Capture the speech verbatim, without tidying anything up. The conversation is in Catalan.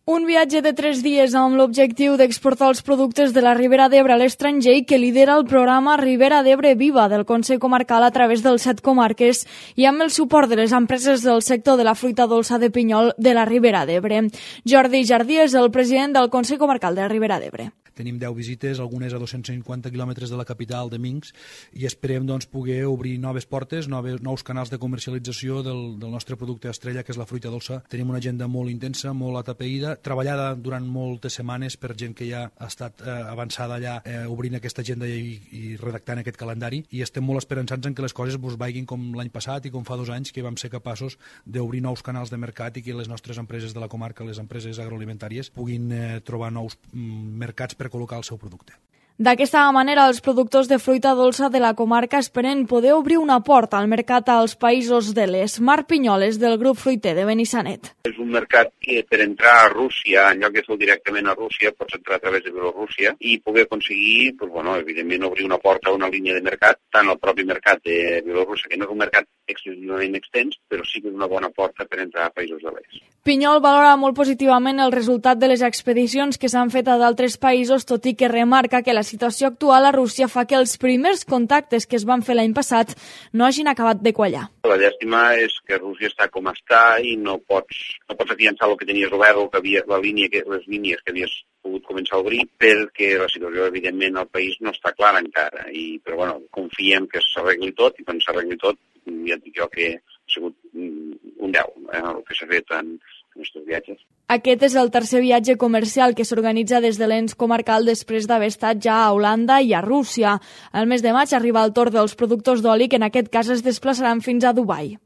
Un viatge de tres dies amb l'objectiu d'exportar els productes de la Ribera d'Ebre a l'estranger que lidera el programa Ribera d'Ebre Viva del Consell Comarcal a través dels set comarques i amb el suport de les empreses del sector de la fruita dolça de pinyol de la Ribera d'Ebre. Jordi Jardí és el president del Consell Comarcal de la Ribera d'Ebre. Tenim deu visites, algunes a dos-cents cinquanta quilòmetres de la capital de Minsk, i esperem doncs, poder obrir noves portes, noves, nous canals de comercialització del, del nostre producte estrella, que és la fruita dolça. Tenim una agenda molt intensa, molt atapeïda, treballada durant moltes setmanes per gent que ja ha estat eh, avançada allà eh, obrint aquesta agenda i, i redactant aquest calendari, i estem molt esperançats en que les coses doncs, vagin com l'any passat i com fa dos anys, que vam ser capaços d'obrir nous canals de mercat i que les nostres empreses de la comarca, les empreses agroalimentàries, puguin eh, trobar nous mm, mercats per col·locar el seu producte. D'aquesta manera, els productors de fruita dolça de la comarca esperen poder obrir una porta al mercat als països de l'est. Marc Pinyoles, del grup fruiter de Benissanet. És un mercat que per entrar a Rússia, en lloc de fer directament a Rússia, pots entrar a través de Bielorússia i poder aconseguir, pues, bueno, evidentment, obrir una porta a una línia de mercat, tant al propi mercat de Bielorússia, que no és un mercat excessivament extens, però sí que és una bona porta per entrar a països de l'est. Pinyol valora molt positivament el resultat de les expedicions que s'han fet a d'altres països, tot i que remarca que la situació actual a Rússia fa que els primers contactes que es van fer l'any passat no hagin acabat de quallar. La llàstima és que Rússia està com està i no pots, no pots afiançar el que tenies obert o que havia, la línia que, les línies que havies pogut començar a obrir, perquè la situació, evidentment, al país no està clara encara. I, però, bueno, confiem que s'arregli tot, i quan s'arregli tot, ja et dic jo que ha sigut un deu, eh, el que s'ha fet en aquests viatges. Aquest és el tercer viatge comercial que s'organitza des de l'ens comarcal després d'haver estat ja a Holanda i a Rússia. El mes de maig arriba el torn dels productors d'oli, que en aquest cas es desplaçaran fins a Dubai.